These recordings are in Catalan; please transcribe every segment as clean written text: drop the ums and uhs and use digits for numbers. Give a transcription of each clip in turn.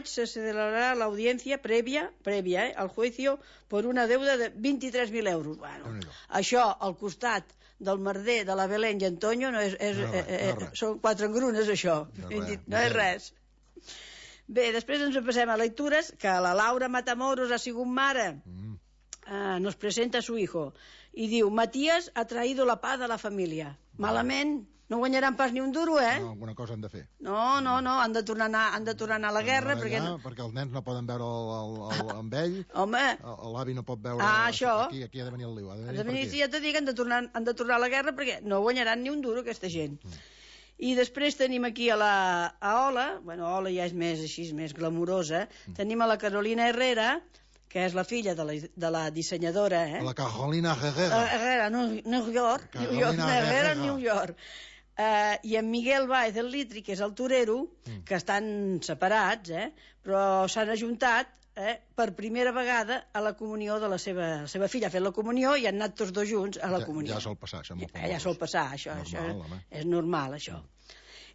se celebrará la audiencia previa al juicio por una deuda de 23.000 euros. Bueno, això al costat del merder de la Belén i Antonio són 4 engrunes, això. No és res. Bé, després ens passem a lectures, que la Laura Matamoros ha sigut mare. Nos presenta a su hijo i diu: Matías ha traído la paz a la família. Malament, no guanyaran pas ni un duro, No, alguna cosa han de fer. No, han de tornar a anar a la guerra perquè els nens no poden veure amb ell. Home, l'avi no pot veure això. Aquí ha de venir el liu. Ja t'he dit que han de tornar a la guerra perquè no guanyaran ni un duro aquesta gent. I després tenim aquí a Ola, Ola ja és més glamurosa, tenim a la Carolina Herrera, que és la filla de la dissenyadora, la Carolina Herrera, New York, i en Miguel Báez del Litri, que és el torero, que estan separats, però s'han ajuntat per primera vegada a la comunió de la seva filla. Ha fet la comunió i han anat tots dos junts a la comunió. Ja sol passar, això. Ja sol passar, això és normal, això.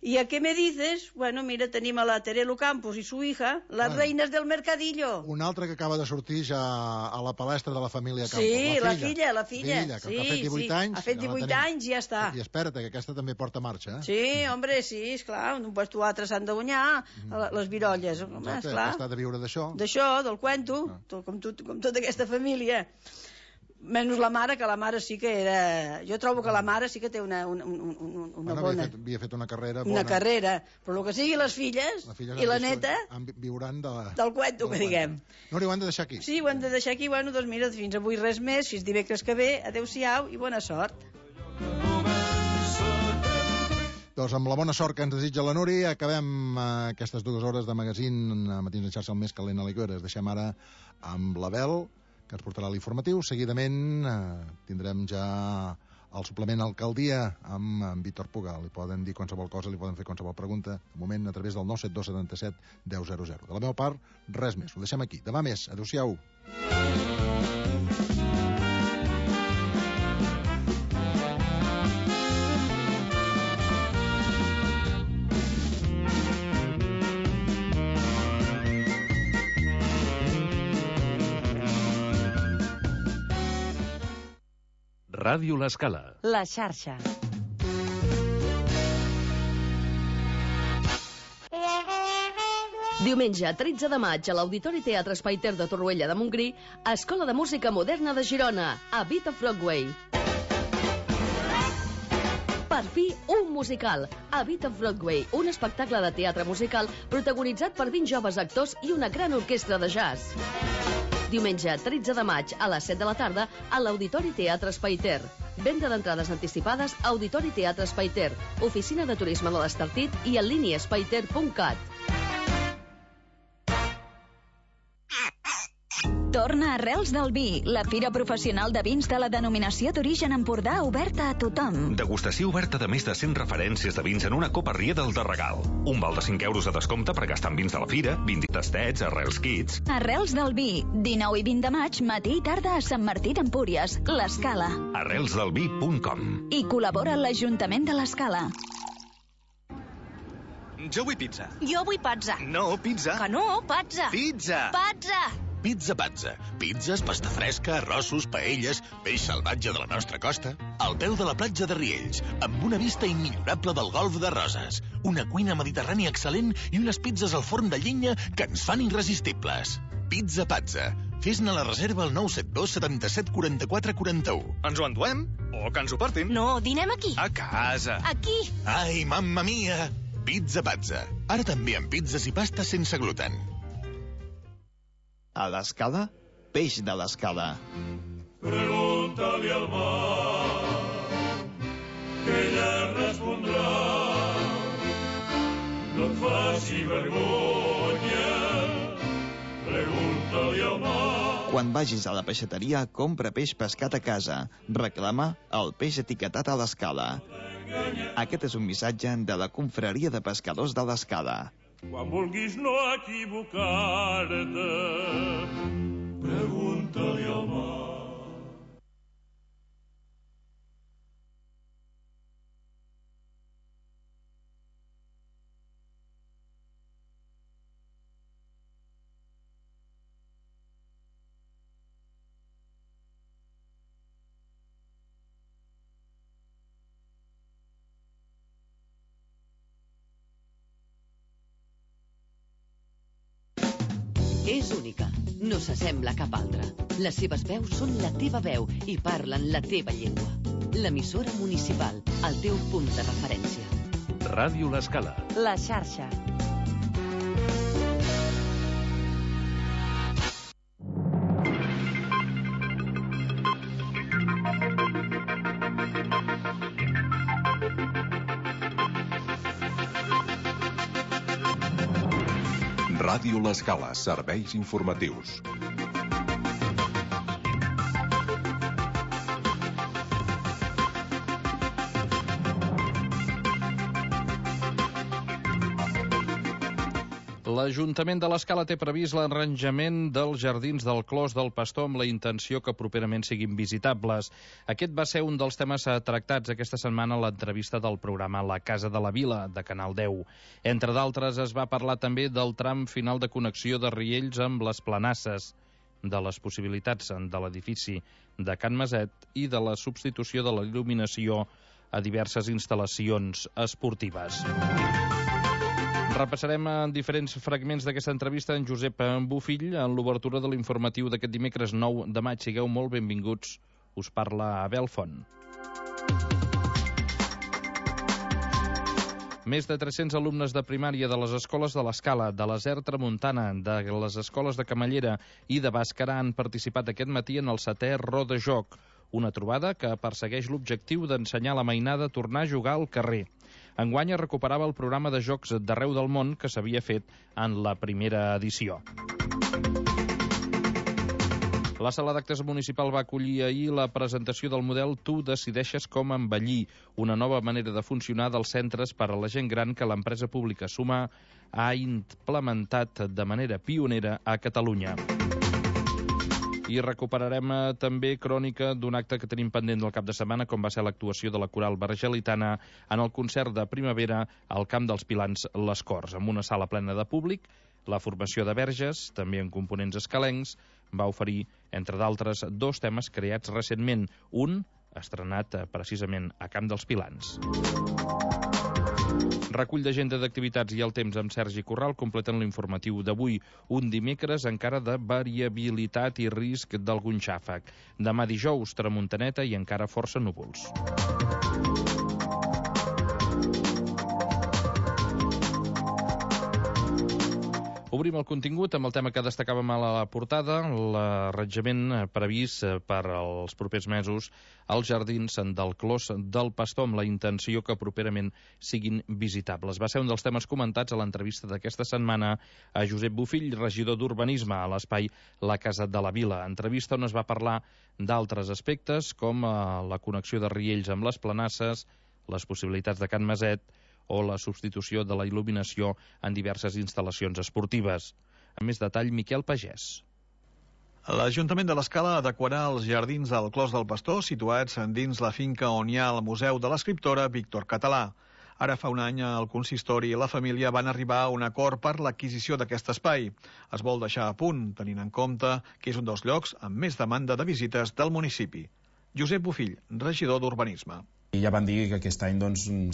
¿Y a qué me dices? Bueno, mira, tenim a la Terelu Campos i su hija, las reinas del mercadillo. Una altra que acaba de sortir ja a la palestra de la família Campos. Sí, la filla. Que ha fet 18 anys. Ha fet 18 anys i ja està. I espera't, que aquesta també porta marxa. Sí, hombre, sí, esclar, un puesto o altre s'han de guanyar, les virolles. Està de viure d'això. D'això, del cuento, com tota aquesta família. Menys la mare, que la mare sí que era... Jo trobo que la mare sí que té una bona... Havia fet una carrera bona. Una carrera, però el que sigui les filles i la neta... Viuran del cuento, que diguem. No, ho hem de deixar aquí. Sí, ho hem de deixar aquí. Bueno, doncs mira, fins avui res més, fins dimecres que ve. Adéu-siau i bona sort. Doncs amb la bona sort que ens desitja la Núria acabem aquestes 2 hores de magazín Matins de Xarxa el més calent a l'Iguera. Deixem ara amb l'Abel, que ens portarà l'informatiu. Seguidament tindrem ja el suplement Alcaldia amb Víctor Puga. Li poden dir qualsevol cosa, li poden fer qualsevol pregunta, de moment a través del 972 77 1000. De la meva part, res més. Ho deixem aquí. Demà més. Adéu-siau. Ràdio L'Escala. La xarxa. Diumenge 13 de maig a l'Auditori Teatre Espai Ter de Torroella de Montgrí, Escola de Música Moderna de Girona, a Beat of Broadway. Per fi, un musical, a Beat of Broadway, un espectacle de teatre musical protagonitzat per 20 joves actors i una gran orquestra de jazz. Diumenge 13 de maig a les 7 de la tarda a l'Auditori Teatre Espai Ter. Venda d'entrades anticipades a Auditori Teatre Espai Ter, Oficina de Turisme de l'Estartit i en línia espaiter.cat. Torna Arrels del Vi, la fira professional de vins de la denominació d'origen Empordà oberta a tothom. Degustació oberta de més de 100 referències de vins en una copa Riedel de regal. Un val de 5 euros de descompte per gastar en vins de la fira, vins i tastets, Arrels Kits. Arrels del Vi, 19 i 20 de maig, matí i tarda a Sant Martí d'Empúries, l'Escala. arrelsdelvi.com. I col·labora l'Ajuntament de l'Escala. Jo vull pizza. Jo vull pizza. No, pizza. Que no, pizza. Pizza. Pizza. Pizza Pazza. Pizzas, pasta fresca, arrossos, paelles, peix salvatge de la nostra costa, al peu de la platja de Riells, amb una vista immillorable del golf de Roses, una cuina mediterrània excel·lent i unes pizzas al forn de llenya que ens fan irresistibles. Pizza Pazza. Fes-ne la reserva al 972 77 44 41. Ens ho enduem? O que ens ho portin? No, dinem aquí. A casa. Aquí. Ai, mamma mia! Pizza Pazza. Ara també amb pizzas i pastes sense gluten. A l'Escala, peix de l'Escala. Pregunta-li al mar, que ella respondrà. No et faci vergonya, pregunta-li al mar. Quan vagis a la peixateria, compra peix pescat a casa. Reclama el peix etiquetat a l'Escala. Aquest és un missatge de la Confraria de Pescadors de l'Escala. Quan vulguis no equivocar-te, pregunta-li al mar. És única, no s'assembla a cap altra. Les seves veus són la teva veu i parlen la teva llengua. L'emissora municipal, el teu punt de referència. Ràdio L'Escala. La xarxa. Ràdio L'Escala, serveis informatius. L'Ajuntament de l'Escala té previst l'arranjament dels jardins del Clos del Pastor amb la intenció que properament siguin visitables. Aquest va ser un dels temes tractats aquesta setmana a l'entrevista del programa La Casa de la Vila, de Canal 10. Entre d'altres, es va parlar també del tram final de connexió de Riells amb les Planasses, de les possibilitats de l'edifici de Can Maset i de la substitució de la il·luminació a diverses instal·lacions esportives. Repassarem en diferents fragments d'aquesta entrevista en Josep Bofill en l'obertura de l'informatiu d'aquest dimecres 9 de maig. Sigueu molt benvinguts. Us parla Abel Font. Més de 300 alumnes de primària de les escoles de l'Escala, de l'Aser Tramuntana, de les escoles de Camallera i de Bàscara han participat aquest matí en el 7è Roda Joc, una trobada que persegueix l'objectiu d'ensenyar la mainada a tornar a jugar al carrer. Enguany es recuperava el programa de jocs d'arreu del món que s'havia fet en la primera edició. La sala d'actes municipal va acollir ahir la presentació del model Tu decideixes com envellir, una nova manera de funcionar dels centres per a la gent gran que l'empresa pública Suma ha implementat de manera pionera a Catalunya. I recuperarem també crònica d'un acte que tenim pendent del cap de setmana, com va ser l'actuació de la coral vergelitana en el concert de primavera al Camp dels Pilans Les Corts, amb una sala plena de públic. La formació de verges, també en components escalencs, va oferir, entre d'altres, 2 temes creats recentment, un estrenat precisament a Camp dels Pilans. Recull d'agenda d'activitats i el temps amb Sergi Corral completen l'informatiu d'avui, un dimecres encara de variabilitat i risc d'algun xàfec. Demà dijous, tramuntaneta i encara força núvols. Obrim el contingut amb el tema que destacàvem a la portada, l'arranjament previst per als propers mesos als jardins del Clos del Pastor amb la intenció que properament siguin visitables. Va ser un dels temes comentats a l'entrevista d'aquesta setmana a Josep Bofill, regidor d'Urbanisme a l'espai La Casa de la Vila. Entrevista on es va parlar d'altres aspectes com la connexió de Riells amb les Planasses, les possibilitats de Can Maset o la substitució de la il·luminació en diverses instal·lacions esportives. Amb més detall, Miquel Pagès. L'Ajuntament de l'Escala adequarà els jardins del Clos del Pastor situats dins la finca on hi ha el Museu de l'Escriptora Víctor Català. Ara fa un any el consistori i la família van arribar a un acord per l'adquisició d'aquest espai. Es vol deixar a punt, tenint en compte que és un dels llocs amb més demanda de visites del municipi. Josep Bofill, regidor d'Urbanisme. I ja van dir que aquest any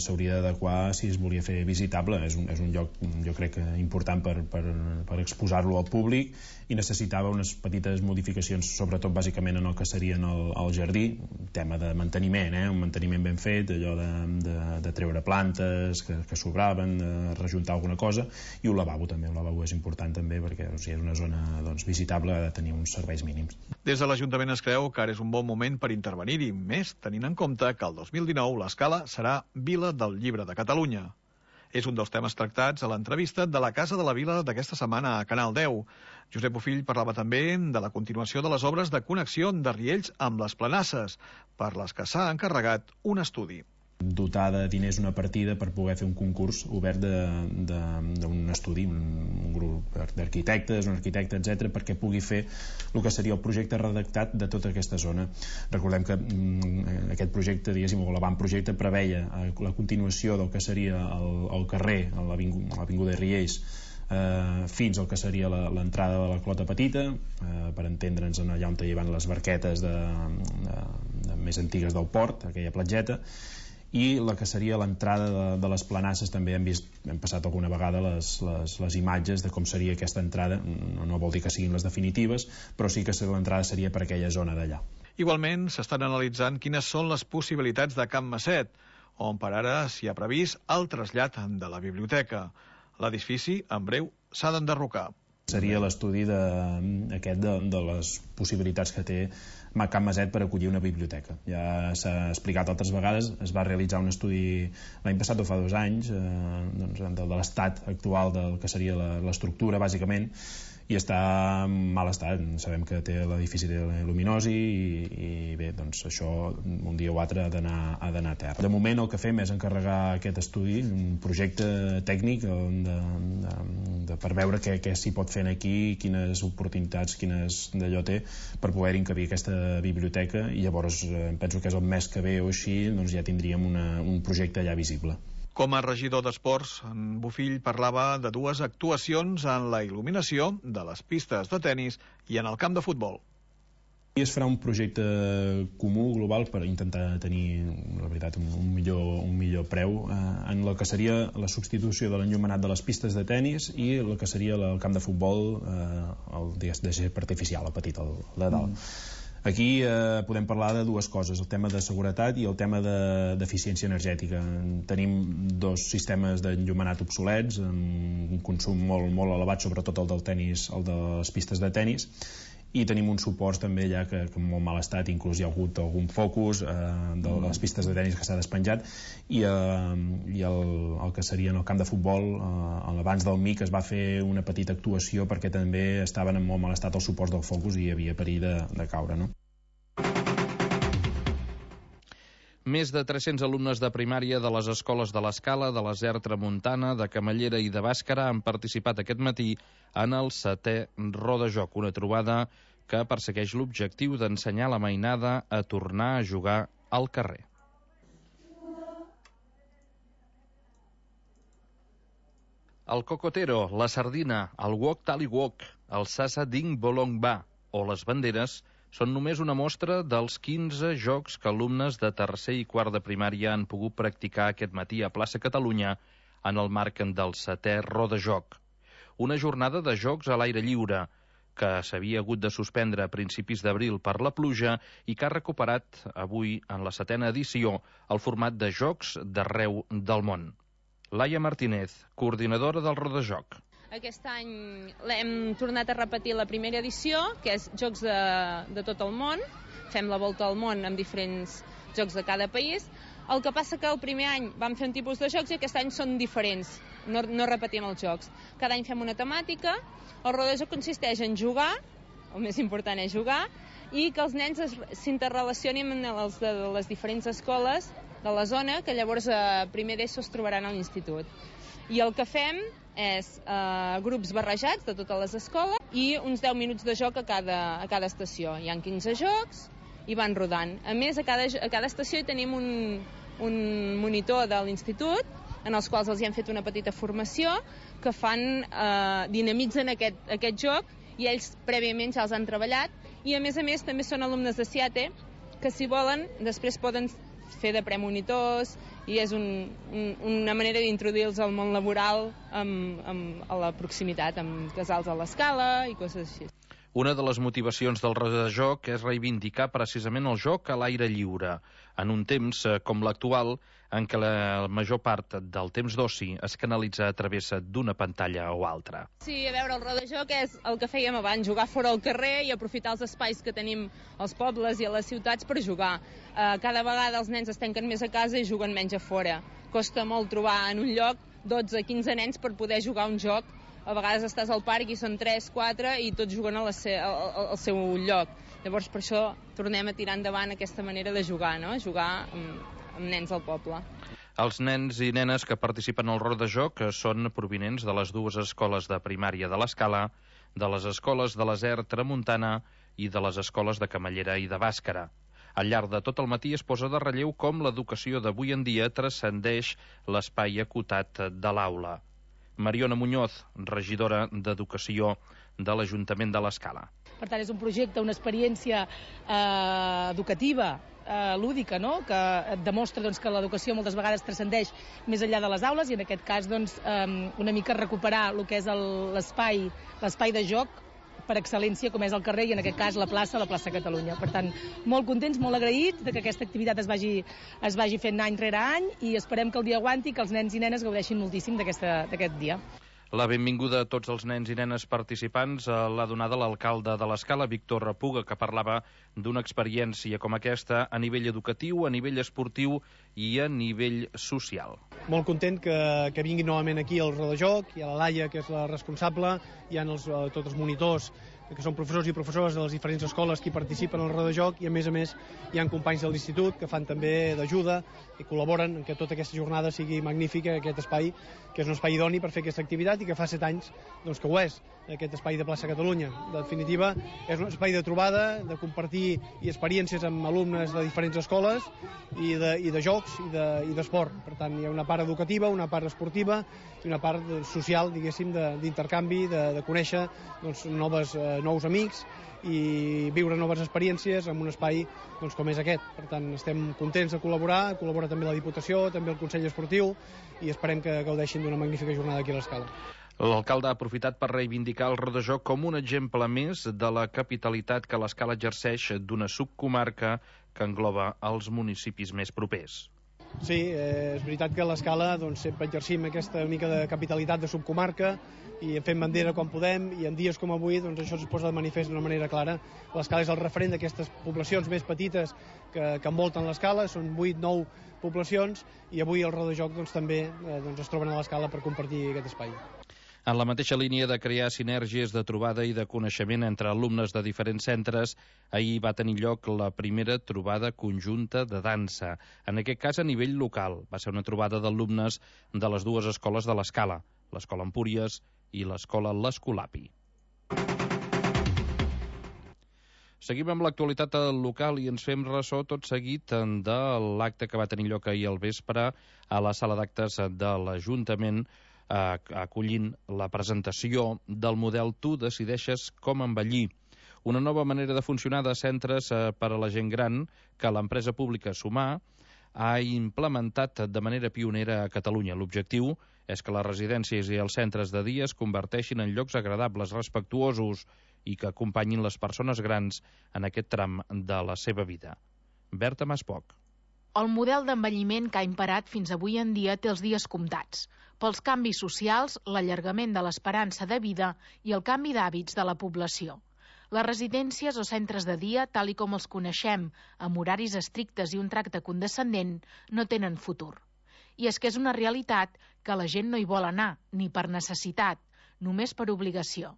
s'hauria d'adequar si es volia fer visitable. És un lloc, jo crec, important per exposar-lo al públic i necessitava unes petites modificacions, sobretot bàsicament en el que serien el jardí, tema de manteniment, un manteniment ben fet, allò de treure plantes que sobraven, de rejuntar alguna cosa, i un lavabo també. Un lavabo és important també perquè si és una zona visitable ha de tenir uns serveis mínims. Des de l'Ajuntament es creu que ara és un bon moment per intervenir-hi, més tenint en compte que el 2019 l'Escala serà Vila del Llibre de Catalunya. És un dels temes tractats a l'entrevista de la Casa de la Vila d'aquesta setmana a Canal 10. Josep Bofill parlava també de la continuació de les obres de connexió de Riells amb les Planasses, per les que s'ha encarregat un estudi. Dotar de diners una partida per poder fer un concurs obert d'un estudi, un grup d'arquitectes, un arquitecte, etc., perquè pugui fer el que seria el projecte redactat de tota aquesta zona. Recordem que aquest projecte, diguéssim, o l'avantprojecte preveia la continuació del que seria el carrer, a l'avinguda Riells, fins al que seria l'entrada de la Clota Petita, per entendre'ns allà on hi van les barquetes més antigues del port, aquella platgeta, i la que seria l'entrada de les planasses. També hem passat alguna vegada les imatges de com seria aquesta entrada. No vol dir que siguin les definitives, però sí que l'entrada seria per aquella zona d'allà. Igualment, s'estan analitzant quines són les possibilitats de Can Maset, on per ara s'hi ha previst el trasllat de la biblioteca. L'edifici, en breu, s'ha d'enderrocar. Seria l'estudi de les possibilitats que té Can Maset per acollir una biblioteca. Ja s'ha explicat altres vegades, es va realitzar un estudi l'any passat o fa 2 anys de l'estat actual del que seria l'estructura, bàsicament, i està en mal estat. Sabem que té l'edifici de luminosi i bé, doncs això un dia o altre ha d'anar a terra. De moment el que fem és encarregar aquest estudi, un projecte tècnic per veure què s'hi pot fer aquí, quines oportunitats, quines d'allò té per poder encabir aquesta biblioteca, i llavors penso que és el mes que ve o així, doncs ja tindríem un projecte ja visible. Com a regidor d'Esports, en Bofill parlava de 2 actuacions en la il·luminació de les pistes de tennis i en el camp de futbol. I es farà un projecte comú, global, per intentar tenir, la veritat, un millor preu en el que seria la substitució de l'enllumenat de les pistes de tennis i el que seria el camp de futbol, el de gespa artificial, el petit, el de dalt. Aquí podem parlar de 2 coses, el tema de seguretat i el tema d'eficiència energètica. Tenim 2 sistemes d'enllumenat obsolets, amb un consum molt elevat, sobretot el del tennis, el de les pistes de tennis, i tenim uns suports també ja que en molt mal estat, inclús hi ha hagut algun focus de les pistes de tennis que s'ha despenjat, i el que seria en el camp de futbol, abans del MIC es va fer una petita actuació perquè també estaven en molt mal estat els suports del focus i hi havia perill de caure, no? Més de 300 alumnes de primària de les escoles de l'Escala, de la SER Tramuntana, de Camallera i de Bàscara han participat aquest matí en el 7è Rodajoc, una trobada que persegueix l'objectiu d'ensenyar la mainada a tornar a jugar al carrer. El cocotero, la sardina, el wok tali wok, el sasa ding bolong ba o les banderes són només una mostra dels 15 jocs que alumnes de tercer i quart de primària han pogut practicar aquest matí a Plaça Catalunya en el marc del 7è Rodajoc. Una jornada de jocs a l'aire lliure que s'havia hagut de suspendre a principis d'abril per la pluja i que ha recuperat avui en la 7a edició el format de jocs d'arreu del món. Laia Martínez, coordinadora del Rodajoc. Aquest any l'hem tornat a repetir la primera edició, que és jocs de tot el món. Fem la volta al món amb diferents jocs de cada país. El que passa que el primer any vam fer un tipus de jocs i aquest any són diferents. No repetim els jocs. Cada any fem una temàtica. El Rodajoc consisteix en jugar, el més important és jugar, i que els nens s'interrelacionin amb els de les diferents escoles de la zona, que llavors a primer d'ESO es trobaran a l'institut. I el que fem és grups barrejats de totes les escoles i uns 10 minuts de joc a cada estació. Hi ha 15 jocs i van rodant. A més, a cada estació hi tenim un monitor de l'institut en els quals els hi han fet una petita formació que dinamitzen aquest joc i ells prèviament ja els han treballat i a més també són alumnes de CIATE que si volen després poden fer de premonitors i és una manera d'introduir-los al món laboral a la proximitat, amb casals a l'Escala i coses així. Una de les motivacions del Rodajoc és reivindicar precisament el joc a l'aire lliure, en un temps com l'actual, en què la major part del temps d'oci es canalitza a través d'una pantalla o altra. Sí, a veure, el Rodajoc és el que fèiem abans, jugar fora al carrer i aprofitar els espais que tenim als pobles i a les ciutats per jugar. Cada vegada els nens es tanquen més a casa i juguen menys a fora. Costa molt trobar en un lloc 12-15 nens per poder jugar un joc. A vegades estàs al parc i són 3-4 i tots juguen al seu lloc. Llavors per això tornem a tirar endavant aquesta manera de jugar, no? Jugar amb nens al poble. Els nens i nenes que participen al Rodajoc són provinents de les 2 escoles de primària de l'Escala, de les escoles de la SER Tramuntana i de les escoles de Camallera i de Bàscara. Al llarg de tot el matí es posa de relleu com l'educació d'avui en dia transcendeix l'espai acotat de l'aula. Mariona Muñoz, regidora d'Educació de l'Ajuntament de l'Escala. Per tant, és un projecte, una experiència educativa, lúdica, no? Que et demostra que l'educació moltes vegades transcendeix més enllà de les aules i en aquest cas una mica recuperar el que és l'espai de joc per excel·lència com és el carrer i en aquest cas la plaça Catalunya. Per tant, molt contents, molt agraïts que aquesta activitat es vagi fent any rere any i esperem que el dia aguanti, que els nens i nenes gaudeixin moltíssim d'aquest dia. La benvinguda a tots els nens i nenes participants l'ha donada l'alcalde de l'Escala, Víctor Puga, que parlava d'una experiència com aquesta a nivell educatiu, a nivell esportiu i a nivell social. Molt content que vinguin novament aquí al Rodojoc, hi ha la Laia, que és la responsable, hi ha tots els monitors, que són professors i professores de les diferents escoles que hi participen al Rodojoc i, a més, hi ha companys de l'institut que fan també d'ajuda i col·laboren en que tota aquesta jornada sigui magnífica, aquest espai, que és un espai idoni per fer aquesta activitat i que fa 7 anys que ho és, aquest espai de plaça Catalunya. En definitiva, és un espai de trobada, de compartir experiències amb alumnes de diferents escoles i de jocs i d'esport. Per tant, hi ha una part educativa, una part esportiva i una part social, diguéssim, d'intercanvi, de conèixer nous amics i viure noves experiències en un espai com és aquest. Per tant, estem contents de col·laborar, col·labora també la Diputació, també el Consell Esportiu i esperem que gaudeixin d'una magnífica jornada aquí a l'Escala. L'alcalde ha aprofitat per reivindicar el Rodojoc com un exemple més de la capitalitat que l'Escala exerceix d'una subcomarca que engloba els municipis més propers. Sí, és veritat que a l'Escala sempre exercim aquesta mica de capitalitat de subcomarca i fem bandera quan podem i en dies com avui això es posa de manifest d'una manera clara. L'Escala és el referent d'aquestes poblacions més petites que envolten l'Escala, són 8-9 poblacions i avui el Rodojoc també es troben a l'Escala per compartir aquest espai. En la mateixa línia de crear sinergies de trobada i de coneixement entre alumnes de diferents centres, ahir va tenir lloc la primera trobada conjunta de dansa. En aquest cas, a nivell local. Va ser una trobada d'alumnes de les dues escoles de l'Escala, l'Escola Empúries i l'Escola l'Escolapi. Seguim amb l'actualitat local i ens fem ressò tot seguit de l'acte que va tenir lloc ahir al vespre a la sala d'actes de l'Ajuntament acollint la presentació del model Tu decideixes com envellir, una nova manera de funcionar de centres per a la gent gran que l'empresa pública Sumar ha implementat de manera pionera a Catalunya. L'objectiu és que les residències i els centres de dia es converteixin en llocs agradables, respectuosos i que acompanyin les persones grans en aquest tram de la seva vida. Berta Maspoc. El model d'envelliment que ha imperat fins avui en dia té els dies comptats, pels canvis socials, l'allargament de l'esperança de vida i el canvi d'hàbits de la població. Les residències o centres de dia, tal i com els coneixem, amb horaris estrictes i un tracte condescendent, no tenen futur. I és que és una realitat que la gent no hi vol anar, ni per necessitat, només per obligació.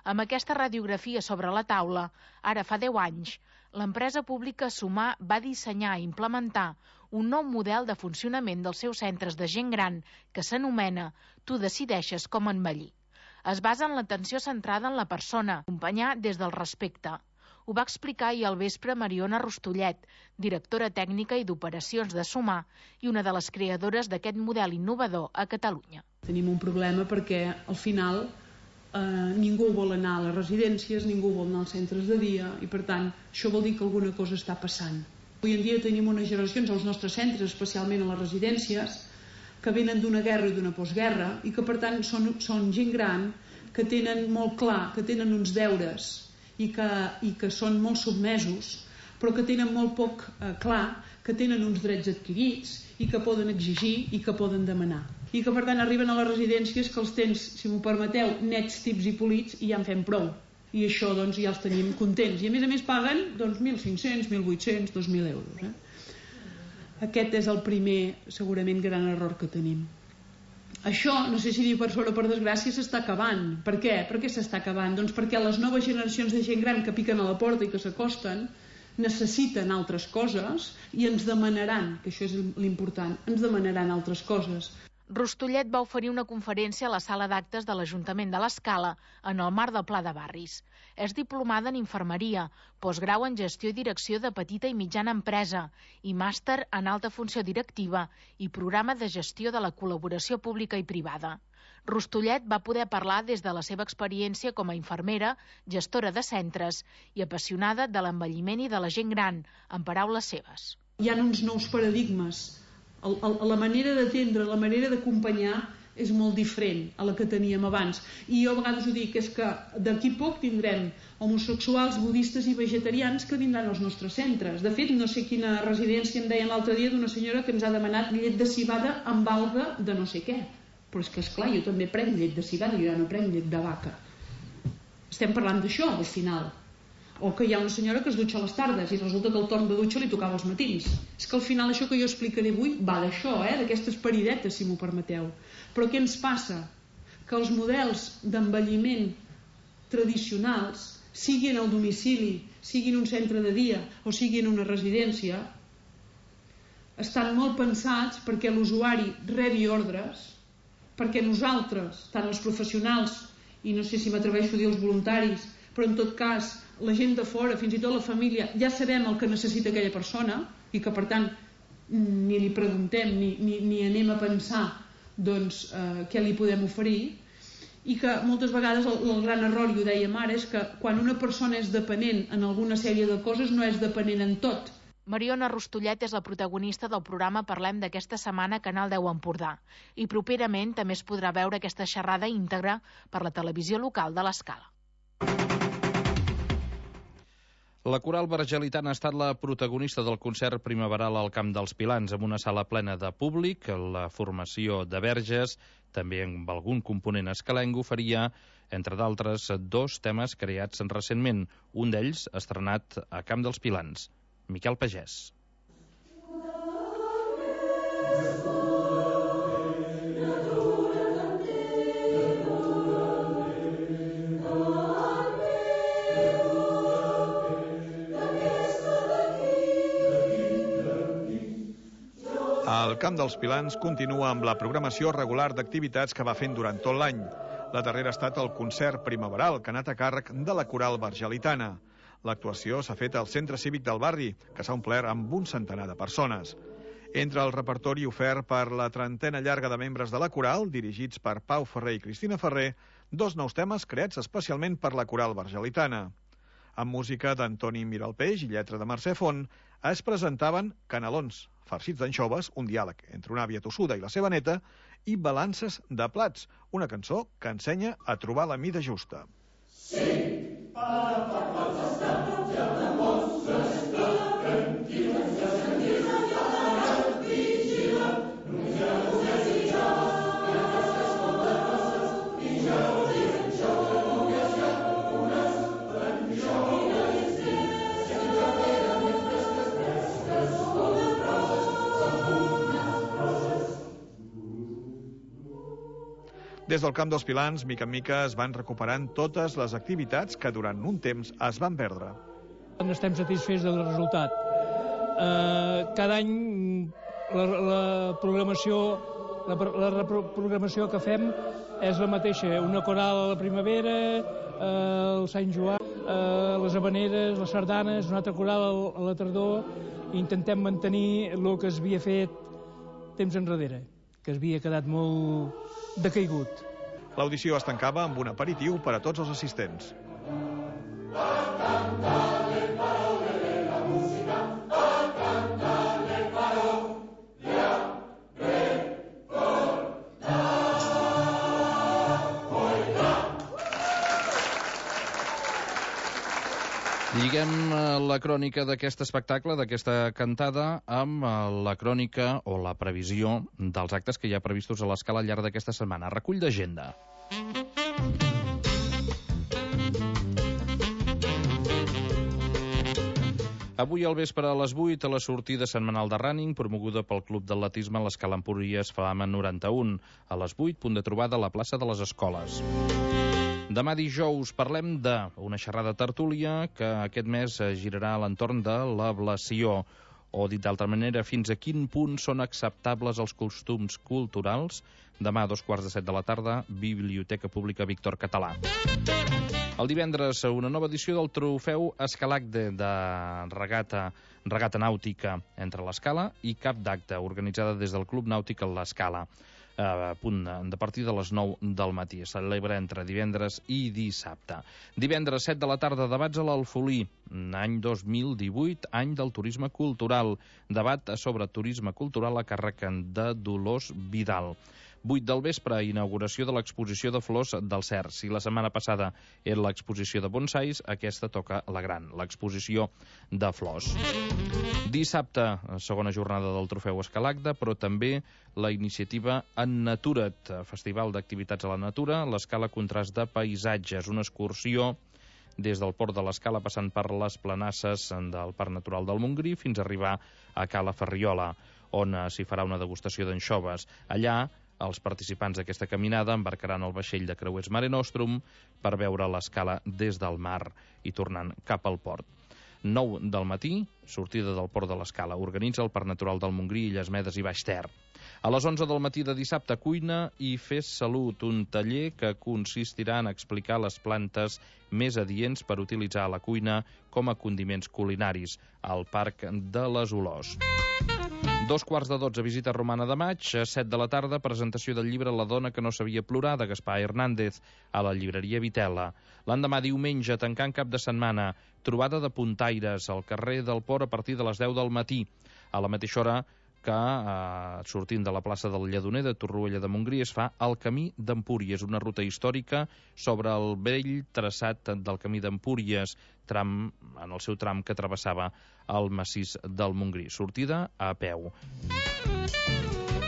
Amb aquesta radiografia sobre la taula, ara fa 10 anys, l'empresa pública Sumar va dissenyar i implementar un nou model de funcionament dels seus centres de gent gran que s'anomena Tu decideixes com envellir. Es basa en l'atenció centrada en la persona, acompanyar des del respecte. Ho va explicar ahir al vespre Mariona Rostollet, directora tècnica i d'operacions de Sumar i una de les creadores d'aquest model innovador a Catalunya. Tenim un problema perquè al final ningú vol anar a les residències, ningú vol anar als centres de dia i per tant això vol dir que alguna cosa està passant. Avui en dia tenim unes generacions als nostres centres, especialment a les residències, que venen d'una guerra i d'una postguerra i que per tant són gent gran que tenen molt clar, que tenen uns deures i que són molt submesos, però que tenen molt poc clar que tenen uns drets adquirits i que poden exigir i que poden demanar. I que per tant arriben a les residències que els tens, si m'ho permeteu, nets, tips i polits i ja en fem prou. I això doncs ja els tenim contents. I a més paguen 1.500, 1.800, 2.000 euros. Aquest és el primer, segurament, gran error que tenim. Això, no sé si dir per sort o per desgràcia, s'està acabant. Per què? Per què s'està acabant? Doncs perquè les noves generacions de gent gran que piquen a la porta i que s'acosten necessiten altres coses i ens demanaran, que això és l'important, ens demanaran altres coses. Rostollet va oferir una conferència a la sala d'actes de l'Ajuntament de l'Escala en el marc del Pla de Barris. És diplomada en infermeria, postgrau en gestió i direcció de petita i mitjana empresa i màster en alta funció directiva i programa de gestió de la col·laboració pública i privada. Rustullet va poder parlar des de la seva experiència com a infermera, gestora de centres i apassionada de l'envelliment i de la gent gran, en paraules seves. Hi ha uns nous paradigmes. La manera d'atendre, la manera d'acompanyar és molt diferent a la que teníem abans. I jo a vegades ho dic, és que d'aquí poc tindrem homosexuals, budistes i vegetarians que vindran als nostres centres. De fet, no sé quina residència em deien l'altre dia d'una senyora que ens ha demanat llet de civada amb alga de no sé què. Però és que, esclar, jo també prenc llet de civada, jo ja no prenc llet de vaca. Estem parlant d'això, al final. O que hi ha una senyora que es dutxa a les tardes i resulta que el torn de dutxa li tocava als matins. És que al final això que jo explicaré avui va d'això, d'aquestes paridetes, si m'ho permeteu. Però què ens passa? Que els models d'envelliment tradicionals, siguin al domicili, siguin un centre de dia o siguin una residència, estan molt pensats perquè l'usuari rebi ordres, perquè nosaltres, tant els professionals, i no sé si m'atreveixo a dir els voluntaris, però en tot cas la gent de fora, fins i tot la família, ja sabem el que necessita aquella persona i que per tant ni li preguntem ni anem a pensar doncs què li podem oferir, i que moltes vegades el gran error, i ho dèiem ara, és que quan una persona és dependent en alguna sèrie de coses no és dependent en tot. Mariona Rustullet és la protagonista del programa Parlem d'aquesta setmana a Canal 10 Empordà i properament també es podrà veure aquesta xerrada íntegra per la televisió local de l'Escala. La Coral Vergelitana ha estat la protagonista del concert primaveral al Camp dels Pilans, amb una sala plena de públic. La formació de Verges, també amb algun component escalenc, oferia, entre d'altres, 2 temes creats recentment, un d'ells estrenat a Camp dels Pilans. Miquel Pagès. El Camp dels Pilans continua amb la programació regular d'activitats que va fent durant tot l'any. La darrera ha estat el concert primaveral, que ha anat a càrrec de la Coral Vergelitana. L'actuació s'ha fet al Centre Cívic del barri, que s'ha omplert amb un centenar de persones. Entre el repertori ofert per la trentena llarga de membres de la Coral, dirigits per Pau Ferrer i Cristina Ferrer, 2 nous temes creats especialment per la Coral Vergelitana. Amb música d'Antoni Miralpeix i lletra de Mercè Font, es presentaven Canelons, farcits d'anxoves, un diàleg entre una àvia tossuda i la seva neta, i Balances de plats, una cançó que ensenya a trobar la mida justa. Sí, para parlar d'estat, ja de mostres, de tranquil·les, de tranquil·les, ja de vigila, només ja ho desitja, que aquestes poderoses, i ja ho diuen jo, que només hi ha unes, jo una distinta, sempre queden més fresques, fresques, unes roses, unes roses. Des del Camp dels Pilans, mica en mica, es van recuperant totes les activitats que durant un temps es van perdre. Estem satisfets del resultat. Cada any la programació que fem és la mateixa. Una coral a la primavera, el Sant Joan, les havaneres, les sardanes, una altra coral a la tardor. Intentem mantenir el que es havia fet temps enrere, que es havia quedat molt decaigut. L'audició es tancava amb un aperitiu per a tots els assistents. Lliguem la crònica d'aquest espectacle, d'aquesta cantada, amb la crònica o la previsió dels actes que hi ha previstos a l'Escala al llarg d'aquesta setmana. Recull d'agenda. Avui al vespre a les 8, a la sortida setmanal de running, promoguda pel Club d'Atletisme a l'Escala Empúries Fama 91. A les 8, punt de trobada a la plaça de les Escoles. Demà dijous parlem d'una xerrada tertúlia que aquest mes girarà a l'entorn de l'ablació, o dit d'altra manera, fins a quin punt són acceptables els costums culturals. Demà a 2:15 de la tarda, Biblioteca Pública Víctor Català. El divendres, una nova edició del trofeu Escalacde de regata nàutica entre l'Escala i Cap d'Acte, organitzada des del Club Nàutic a l'Escala. a punt de partir de les 9 del matí. Es celebra entre divendres i dissabte. Divendres 7 de la tarda, debats a l'Alfolí, any 2018, any del turisme cultural. Debat sobre turisme cultural a càrrec de Dolors Vidal. 8 del vespre, inauguració de l'exposició de flors del Cert. Si la setmana passada era l'exposició de bonsais, aquesta toca la gran, l'exposició de flors. Dissabte, segona jornada del Trofeu Escalagda, però també la iniciativa En Natura't, festival d'activitats a la natura, l'Escala Contrast de Paisatges, una excursió des del port de l'Escala passant per les planasses del Parc Natural del Montgrí fins a arribar a Cala Ferriola, on s'hi farà una degustació d'anxoves. Allà, els participants d'aquesta caminada embarcaran el vaixell de creuers Mare Nostrum per veure l'escala des del mar i tornant cap al port. 9 del matí, sortida del port de l'Escala. Organitza el Parc Natural del Montgrí, Illes Medes i Baix Ter. A les 11 del matí de dissabte, cuina i fes salut, un taller que consistirà en explicar les plantes més adients per utilitzar a la cuina com a condiments culinaris al Parc de les Olors. 2:15, visita romana de maig. 7 de la tarda, presentació del llibre La dona que no sabia plorar, de Gaspar Hernández, a la llibreria Vitela. L'endemà, diumenge, tancant cap de setmana, trobada de puntaires al carrer del Port a partir de les 10 del matí. A la mateixa hora que, sortint de la plaça del Lledoner de Torroella de Montgrí, es fa el Camí d'Empúries, una ruta històrica sobre el vell traçat del Camí d'Empúries, en el seu tram que travessava el massís del Montgrí. Sortida a peu.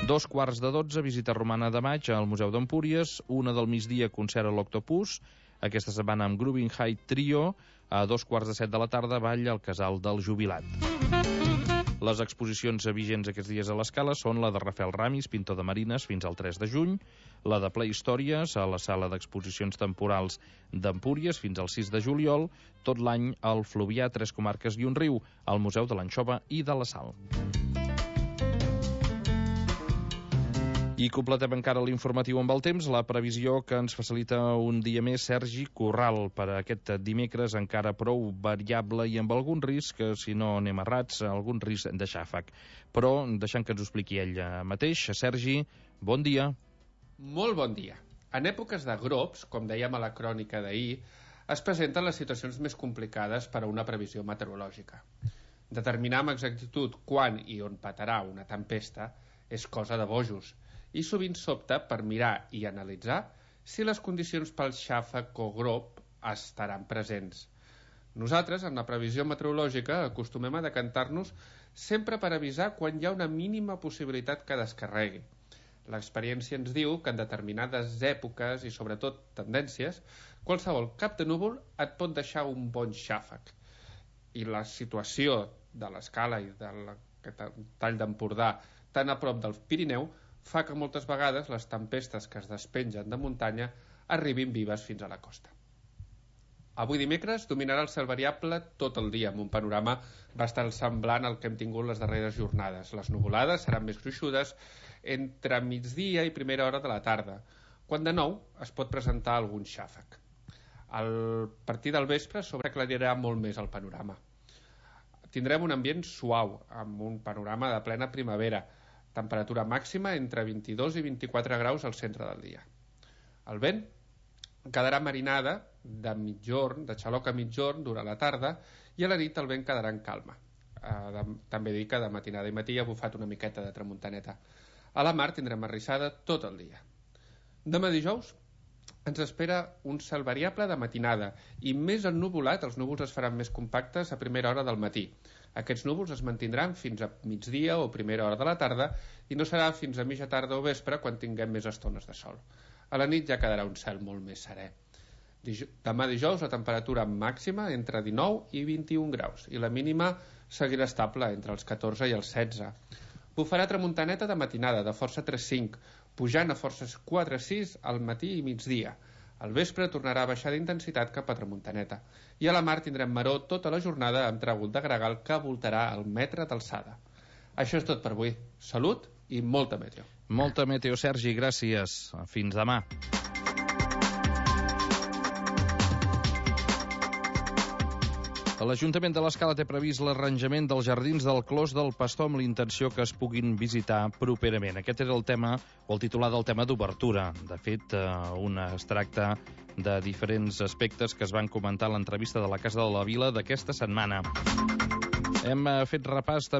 2:15, visita romana de maig al Museu d'Empúries. 1 del migdia, concert a l'Octopus. Aquesta setmana amb Grooving High Trio. A 2:15 de la tarda, ball al Casal del Jubilat. Les exposicions vigents aquests dies a l'Escala són la de Rafael Ramis, pintor de marines, fins al 3 de juny, la de Playhistòries a la sala d'exposicions temporals d'Empúries fins al 6 de juliol, tot l'any al Fluvià, 3 comarques i un riu, al Museu de l'Anxova i de la Sal. I completem encara l'informatiu amb el temps, la previsió que ens facilita un dia més Sergi Corral per a aquest dimecres, encara prou variable i amb algun risc, si no anem errats, algun risc de xàfec. Però deixant que ens ho expliqui ell mateix. Sergi, bon dia. Molt bon dia. En èpoques de grops, com dèiem a la crònica d'ahir, es presenten les situacions més complicades per a una previsió meteorològica. Determinar amb exactitud quan i on petarà una tempesta és cosa de bojos, i sovint s'opta per mirar i analitzar si les condicions pel xàfec o grop estaran presents. Nosaltres, en la previsió meteorològica, acostumem a decantar-nos sempre per avisar quan hi ha una mínima possibilitat que descarregui. L'experiència ens diu que en determinades èpoques i sobretot tendències, qualsevol cap de núvol et pot deixar un bon xàfec. I la situació de l'Escala i del tall d'Empordà tan a prop del Pirineu fa que moltes vegades les tempestes que es despengen de muntanya arribin vives fins a la costa. Avui dimecres dominarà el cel variable tot el dia, amb un panorama bastant semblant al que hem tingut les darreres jornades. Les nuvolades seran més gruixudes entre migdia i primera hora de la tarda, quan de nou es pot presentar algun xàfec. A partir del vespre sobreclarirà molt més el panorama. Tindrem un ambient suau, amb un panorama de plena primavera, temperatura màxima entre 22 i 24 graus al centre del dia. El vent quedarà marinada de mitjorn, de xaloc a mitjorn durant la tarda, i a la nit el vent quedarà en calma. També dic que de matinada i matí ha bufat una miqueta de tramuntaneta. A la mar tindrem arrissada tot el dia. Demà dijous ens espera un cel variable de matinada i més ennuvolat, els núvols es faran més compactes a primera hora del matí. Aquests núvols es mantindran fins a migdia o primera hora de la tarda i no serà fins a mitja tarda o vespre quan tinguem més estones de sol. A la nit ja quedarà un cel molt més serè. Demà dijous la temperatura màxima entre 19 i 21 graus i la mínima seguirà estable entre els 14 i els 16. Bufarà tramuntaneta de matinada de força 3-5, pujant a forces 4-6 al matí i migdia. Al vespre tornarà a baixar d'intensitat cap a tramuntaneta. I a la mar tindrem maror tota la jornada amb tràgol de gregal que voltarà el metre d'alçada. Això és tot per avui. Salut i molta meteo. Molta meteo, Sergi, gràcies. Fins demà. L'Ajuntament de l'Escala té previst l'arranjament dels jardins del Clos del Pastor amb l'intenció que es puguin visitar properament. Aquest era el tema, o el titular del tema d'obertura. De fet, es tracta de diferents aspectes que es van comentar a l'entrevista de la Casa de la Vila d'aquesta setmana. Hem fet repàs també